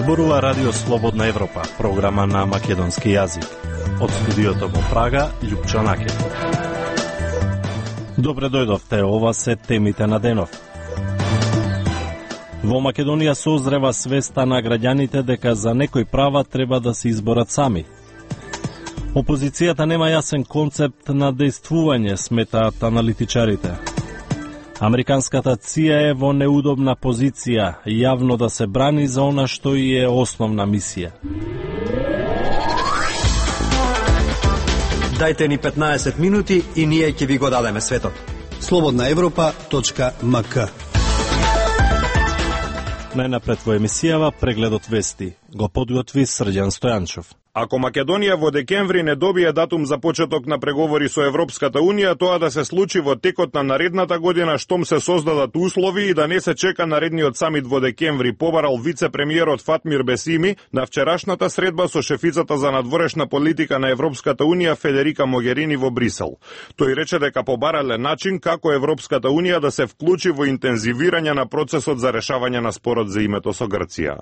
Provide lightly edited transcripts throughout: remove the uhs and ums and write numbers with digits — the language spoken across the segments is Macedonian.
Зборува Радио Слободна Европа, програма на македонски јазик. Од студиото во Прага, Љупчо Накев. Добре дојдовте, ова се темите на денов. Во Македонија созрева свеста на граѓаните дека за некои права треба да се изборат сами. Опозицијата нема јасен концепт на дејствување, сметаат аналитичарите. Американската ЦИА е во неудобна позиција, јавно да се брани за она што и е основна мисија. Дајте ни 15 минути и ние ќе ви го дадеме светот. slobodnaevropa.mk. Најнапред во емисијава прегледот вести. Го подготви Срđan Стојанчов. Ако Македонија во декември не добие датум за почеток на преговори со Европската Унија, тоа да се случи во текот на наредната година, штом се создадат услови и да не се чека наредниот самит во декември, побарал вице-премиерот Фатмир Бесими на вчерашната средба со шефицата за надворешна политика на Европската Унија Федерика Могерини во Брисел. Тој рече дека побарале начин како Европската Унија да се вклучи во интензивирање на процесот за решавање на спорот за името со Грција.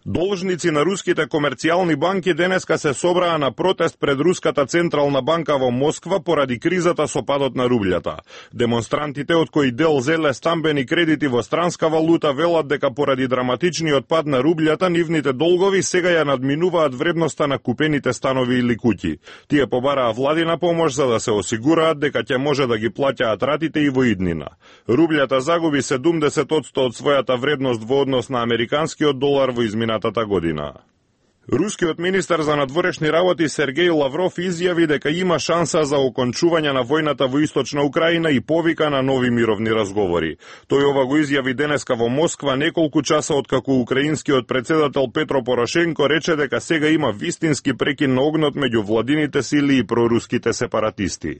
Должници на руските комерцијални банки денеска се собраа на протест пред Руската централна банка во Москва поради кризата со падот на рублјата. Демонстрантите, од кои дел зеле стамбени кредити во странска валута, велат дека поради драматичниот пад на рублјата нивните долгови сега ја надминуваат вредноста на купените станови или куќи. Тие побараа владина помош за да се осигураат дека ќе може да ги плаќаат ратите и во иднина. Рублјата загуби 70% од својата вредност во однос на американскиот долар во измината година. Рускиот министар за надворешни работи Сергеј Лавров изјави дека има шанса за окончување на војната во Источна Украина и повика на нови мировни разговори. Тој ова го изјави денеска во Москва неколку часа откако украинскиот председател Петро Порошенко рече дека сега има вистински прекин на огнот меѓу владините сили и проруските сепаратисти.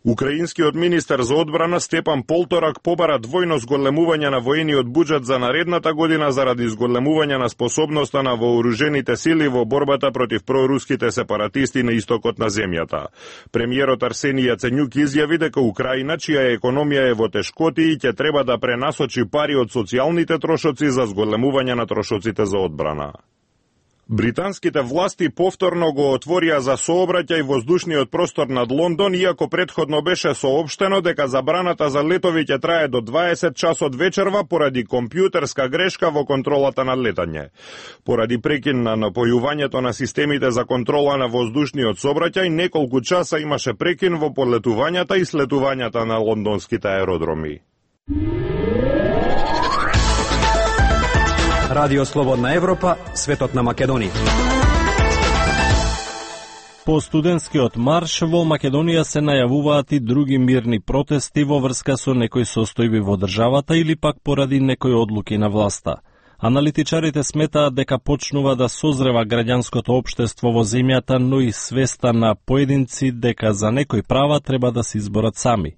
Украинскиот министар за одбрана Степан Полторак побара двојно зголемување на воениот буџет за наредната година заради зголемување на способноста на вооружените сили во борбата против проруските сепаратисти на истокот на земјата. Премиерот Арсенија Јаценјук изјави дека Украина, чија економија е во тешкоти, ќе треба да пренасочи пари од социјалните трошоци за зголемување на трошоците за одбрана. Британските власти повторно го отворија за сообраќај воздушниот простор над Лондон, иако претходно беше соопштено дека забраната за летови ќе трае до 20 часот вечерва поради компјутерска грешка во контролата на летање. Поради прекин на напојувањето на системите за контрола на воздушниот сообраќај, неколку часа имаше прекин во полетувањата и слетувањата на лондонските аеродроми. Радио Слободна Европа, светот на Македонија. По студентскиот марш во Македонија се најавуваат и други мирни протести во врска со некои состојби во државата или пак поради некои одлуки на власта. Аналитичарите сметаат дека почнува да созрева граѓанското општество во земјата, но и свеста на поединци дека за некои права треба да се изборат сами.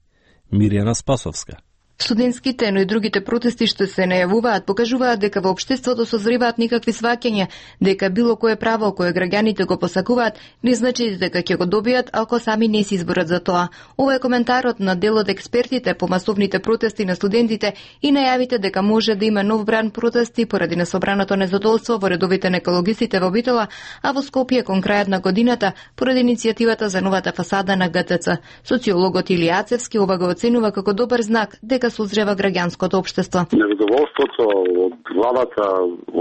Мирјана Спасовска. Студентските, но и другите протести што се најавуваат покажуваат дека во општеството созреваат никакви сваќања, дека било кое право кое граѓаните го посакуваат не значи дека ќе го добијат ако сами не се изборат за тоа. Ова е коментарот на дел од експертите по масовните протести на студентите и најавите дека може да има нов бран протести поради несобраното незадоволство во редовите на екологистите во Битола, а во Скопје кон крајот на годината поради иницијативата за новата фасада на ГТЦ. Социологот Илија Ацевски ова го оценува како добар знак дека созрева граѓанското општество. Незадоволството од владата,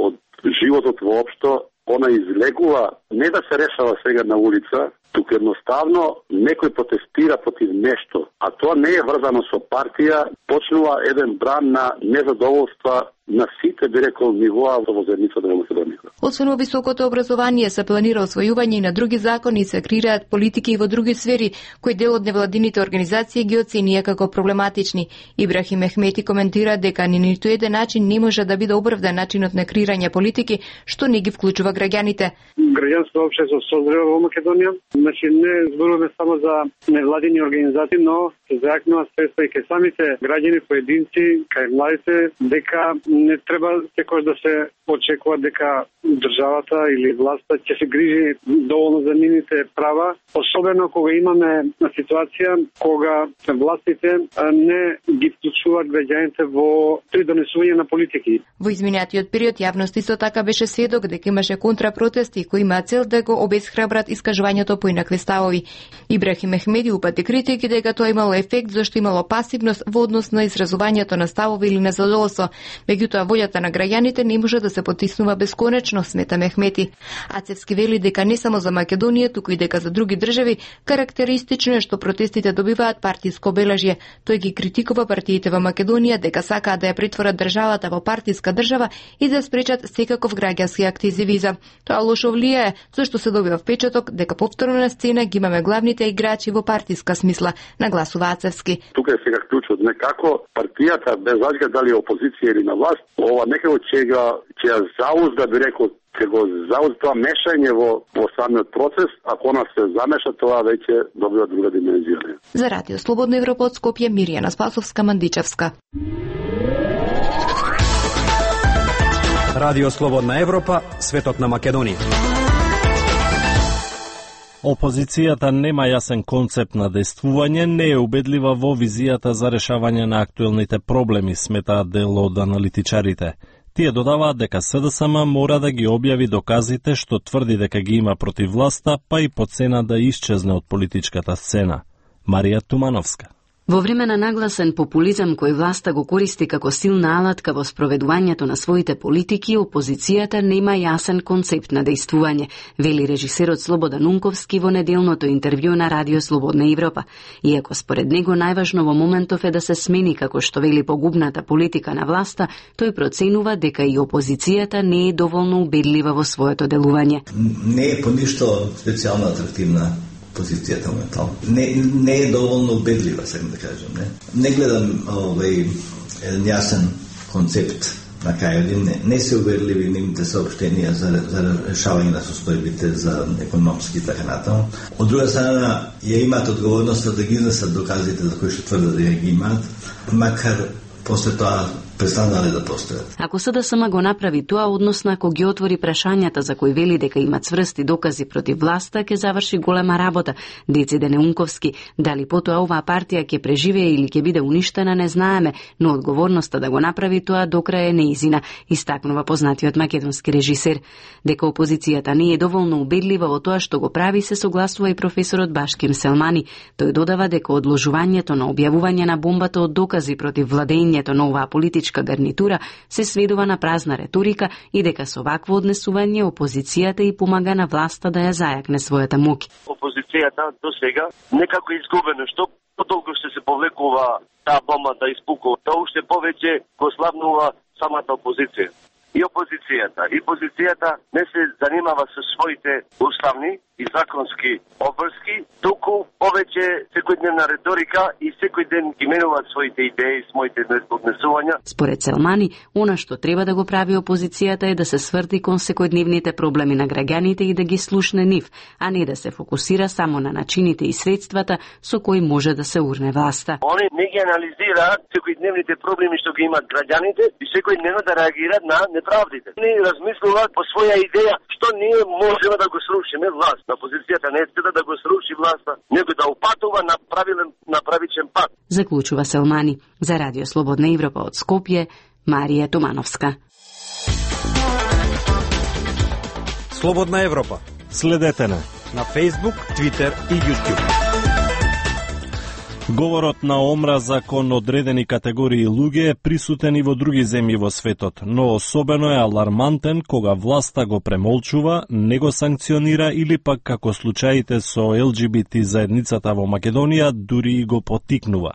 од животот воопшто, она излегува не да се решава сега на улица, туку едноставно некој протестира против нешто, а тоа не е врзано со партија, почнува еден бран на незадоволства на сите, би рекол, нивоа во заедницата на Македонија. Освен во високото образование се планира освојување и на други закони и се креираат политики и во други сфери, кои дел од невладините организации ги оценија како проблематични. Ибрахим Мехмети коментира дека ни ниту еден начин не може да биде оправдан начинот на креирање политики што не ги вклучува граѓаните. Граѓанското општество созрева во Македонија. Значи не зборуваме само за невладини организации, но се зајакнува средства и кај самите граѓани, поединци, кај младите, дека не треба секогаш да се очекува дека државата или власта ќе се грижи доволно за нивните права, особено кога имаме ситуација кога властите не ги вклучуваат граѓаните при донесување на политики. Во изминатиот период јавност исто така беше сведок дека имаше контрапротести кои имаат цел да го обесхрабрат искажувањето по инакви ставови. Ибрахим Мехмеди упати критики дека тоа имало ефект зашто имало пасивност во однос на изразувањето на ставови или незадоволство. Меѓутоа волјата на граѓаните не може да се потиснува бесконечно, смета Мехмети. Ацевски вели дека не само за Македонија, туку и дека за други држави карактеристично е што протестите добиваат партиско обележје. Тој ги критикува партиите во Македонија дека сакаат да ја претворат државата во партиска држава и да спречат секаков граѓански активизам. Тоа лошо влијае, зашто се добива впечаток дека повторно на сцена ги имаме главните играчи во партиска смисла, нагласува Ацевски. Тука е сега клучот, некако партијата без разлика дали опозиција или на власт, ова некако ќе ја заузда, би рекол, ќе го заузда тоа мешање во самиот процес, ако она се замеша, тоа веќе добива друга димензија. За Радио Слободна Европа од Скопје, Мирјана Спасовска-Мандичевска. Радио Слободна Европа, светот на Македонија. Опозицијата нема јасен концепт на действување, не е убедлива во визијата за решавање на актуелните проблеми, сметаат дел од аналитичарите. Тие додаваат дека СДСМ мора да ги објави доказите што тврди дека ги има против власта, па и по цена да исчезне од политичката сцена. Марија Тумановска. Во време на нагласен популизам кој власта го користи како силна алатка во спроведувањето на своите политики, опозицијата нема јасен концепт на действување, вели режисерот Слободан Унковски во неделното интервју на Радио Слободна Европа. Иако според него најважно во моментов е да се смени како што вели погубната политика на власта, тој проценува дека и опозицијата не е доволно убедлива во своето делување. Не е по ништо специјално атрактивна позицијата моментално. Не е доволно убедлива, сакам да кажам. Не гледам еден јасен концепт на кај не се убедливи нивните соопштенија за решавање на состојбите за економски и така натаму. Од друга страна, ја имаат одговорноста да ги изнесат доказите за кои што тврдат да ги имаат, макар после тоа престанале да постојат. Ако СДСМ го направи тоа, односно ако ги отвори прашањата за кои вели дека има цврсти докази против власта, ќе заврши голема работа, дециде Неунковски. Дали потоа оваа партија ќе преживее или ќе биде уништена, не знаеме, но одговорноста да го направи тоа до крај е неизина, истакнува познатиот македонски режисер. Дека опозицијата не е доволно убедлива во тоа што го прави, се согласува и професорот Башким Селмани. Тој додава дека одложувањето на објавување на бомбата од докази против владењето на оваа политичка гарнитура се сведува на празна реторика и дека со вакво однесување опозицијата и помага на власта да ја зајакне својата моќ. Опозицијата до сега некако изгубено, што потолку ще се повлекува таа бомба да испукува, тоа уште повеќе го слабнува самата опозиција. И опозицијата, и позицијата не се занимава со своите уставни и законски обврски, туку повеќе секојдневна риторика и секој ден ги менуваат своите идеи, своите однесувања. Според Селмани, она што треба да го прави опозицијата е да се сврти кон секојдневните проблеми на граѓаните и да ги слушне нив, а не да се фокусира само на начините и средствата со кои може да се урне власта. Они не ги анализираат секојдневните проблеми што ги имаат граѓаните и секојдневно да реагираат на неправдите. Не размислуваат по своја идеја што ние можеме да го срушиме власт. Опозицијата не е да го сруши власта, него да упатува на правичен пат. Заклучува Селмани. За Радио Слободна Европа од Скопје, Марија Тумановска. Слободна Европа. Следете на Facebook, Twitter и YouTube. Говорот на омраза кон одредени категории луѓе е присутен и во други земји во светот, но особено е алармантен кога власта го премолчува, не го санкционира или пак како случаите со ЛГБТ заедницата во Македонија дури и го поттикнува.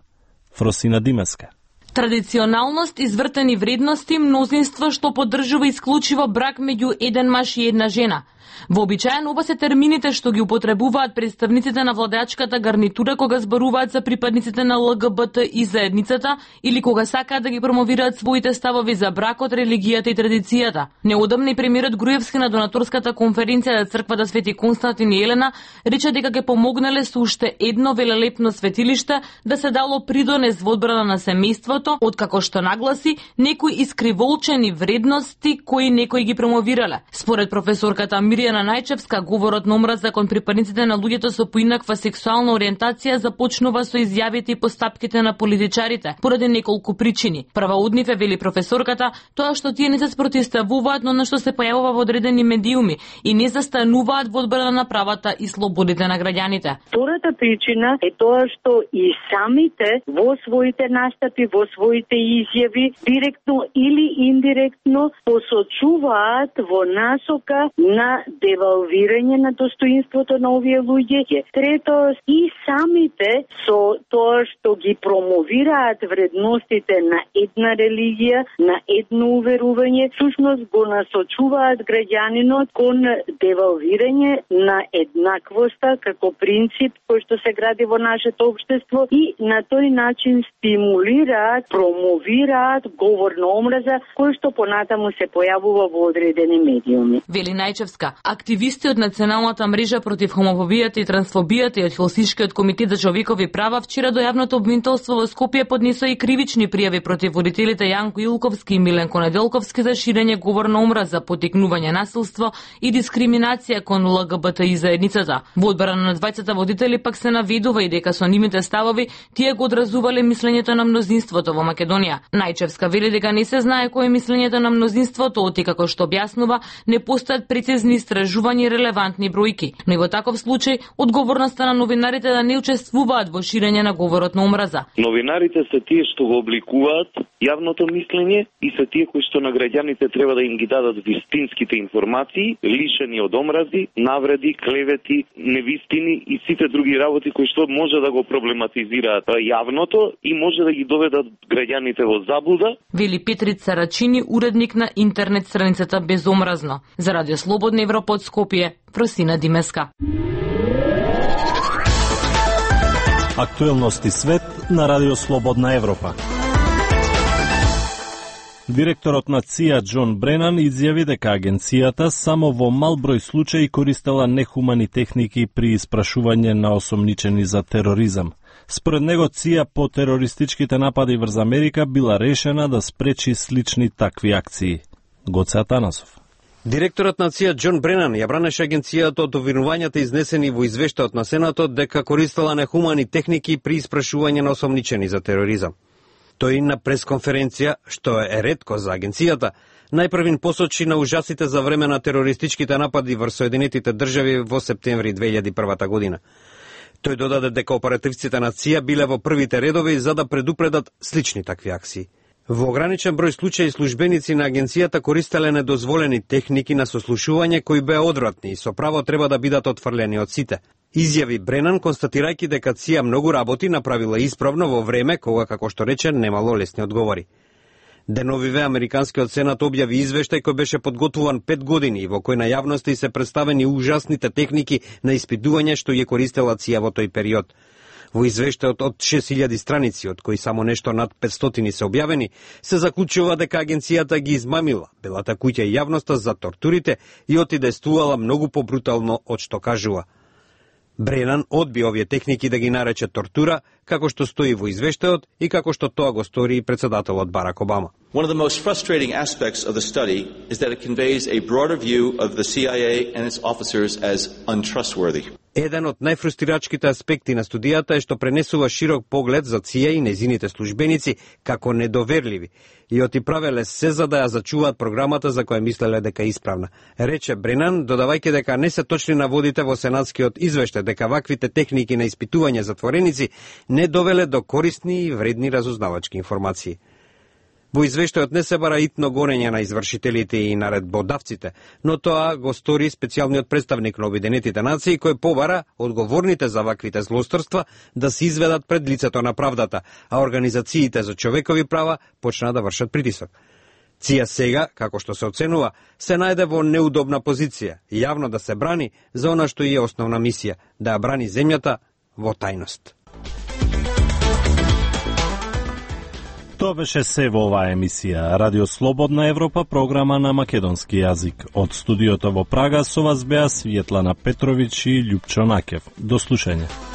Фросина Димеска. Традиционалност, извртени вредности, мнозинство што поддржува исклучиво брак меѓу еден маж и една жена. Вообичаен оба се термините што ги употребуваат представниците на владеачката гарнитура кога зборуваат за припадниците на ЛГБТ и заедницата или кога сакаат да ги промовираат своите ставови за бракот, религијата и традицијата. Неодамна и премиерот Груевски на донаторската конференција за црквата Свети Константин и Елена рече дека ќе помогнале со уште едно велелепно светилиште да се дало придонес во одбрана на семејството, откако што нагласи некои искриволчени вредности кои некои ги промовирале. Според професорката Мирјана Најчевска, говорот на омраза кон припадниците на луѓето со поинаква сексуална ориентација започнува со изјавите и постапките на политичарите, поради неколку причини. Прва од нив е, вели професорката, тоа што тие не се спротивставуваат, но на што се појавува во одредени медиуми и не застануваат во одбрана на правата и слободите на граѓаните. Втората причина е тоа што и самите во своите настапи, во своите изјави, директно или индиректно посочуваат во насока на девалвирање на достоинството на овие луѓе. Трето, и самите со тоа што ги промовираат вредностите на една религија, на едно уверување, всушност го насочуваат граѓанинот кон девалвирање на еднаквоста како принцип кој што се гради во нашето општество и на тој начин стимулираат, промовираат говор на омраза кој што понатаму се појавува во одредени медиуми. Вели Најчевска, активисти од Националната мрежа против хомофобијата и трансфобијата и од Хелсиншкиот комитет за човекови права вчера до јавното обвинителство во Скопје поднесоа и кривични пријави против водителите Јанко Илковски и Миленко Неделковски за ширење говор на омраза, поттикнување насилство и дискриминација кон ЛГБТ и заедницата. Во одбрана на двајцата водители пак се наведува и дека со нивните ставови тие го одразувале мислењето на мнозинството во Македонија. Најчевска вели дека не се знае кој е мислењето на мнозинството, оти како што објаснува, не постојат прецизни истражувања и релевантни бројки. Но и во таков случај, одговорноста на новинарите да не учествуваат во ширење на говорот на омраза. Новинарите се тие што го обликуваат јавното мислење и се тие кои што на граѓаните треба да им ги дадат вистинските информации, лишени од омрази, навреди, клевети, невистини и сите други работи кои што може да го проблематизираат јавното и може да ги доведат граѓаните во заблуда. Вели Петрица Рачини, уредник на интернет страницата Безомразно. За Радио Слободна Европа од Скопје, Просина Димеска. Актуелности свет на Радио Слободна Европа. Директорот на ЦИА Џон Бренан изјави дека агенцијата само во мал број случаи користела нехумани техники при испрашување на осомничени за тероризам. Според него ЦИА по терористичките напади врз Америка била решена да спречи слични такви акции. Гоце Атанасов. Директорот на ЦИА Џон Бренан ја бранеше агенцијата од обвинувањата изнесени во извештајот на Сенатот дека користела нехумани техники при испрашување на осомничени за тероризам. Тој на пресконференција, што е ретко за агенцијата, најпрвин посочи на ужасите за време на терористичките напади врз Соединетите држави во септември 2001 година. Тој додаде дека оперативците на ЦИА биле во првите редови за да предупредат слични такви акции. Во ограничен број случаи службеници на агенцијата користеле недозволени техники на сослушување кои беа одвратни и со право треба да бидат отфрлени од сите. Изјави Бренан, констатирајќи дека ЦИА многу работи направила исправно во време кога, како што рече, немало лесни одговори. Деновиве Американскиот сенат објави извештај кој беше подготвуван 5 години и во кој на јавноста и се представени ужасните техники на испитување што ја користела ЦИА во тој период. Во извештајот од 6000 страници, од кои само нешто над 500 се објавени, се заклучува дека агенцијата ги измамила белата куќа и јавноста за тортурите и отидействувала многу побрутално од што кажува. Бренан одби овие техники да ги нарече тортура, како што стои во извештајот и како што тоа го стори и председателот Барак Обама. One of the most frustrating aspects of the study is that it conveys a broader view of the CIA and its officers as untrustworthy. Еден од најфрустирачките аспекти на студијата е што пренесува широк поглед за ЦИА и незините службеници како недоверливи и оти правеле се за да ја зачуваат програмата за која мислеле дека е исправна. Рече Бренан, додавајќи дека не се точни наводите во сенатскиот извештај дека ваквите техники на испитување затвореници не довеле до корисни и вредни разузнавачки информации. Во извештајот не се бара итно гонење на извршителите и наредбодавците, но тоа го стори специјалниот представник на Обединетите нации кој побара одговорните за ваквите злосторства да се изведат пред лицето на правдата, а организациите за човекови права почнаа да вршат притисок. Ција сега, како што се оценува, се најде во неудобна позиција, јавно да се брани за она што е основна мисија, да ја брани земјата во тајност. Тоа беше се во оваа емисија. Радио Слободна Европа, програма на македонски јазик. Од студиото во Прага со вас беа Светлана Петровиќ и Љупчо Накев. До слушање.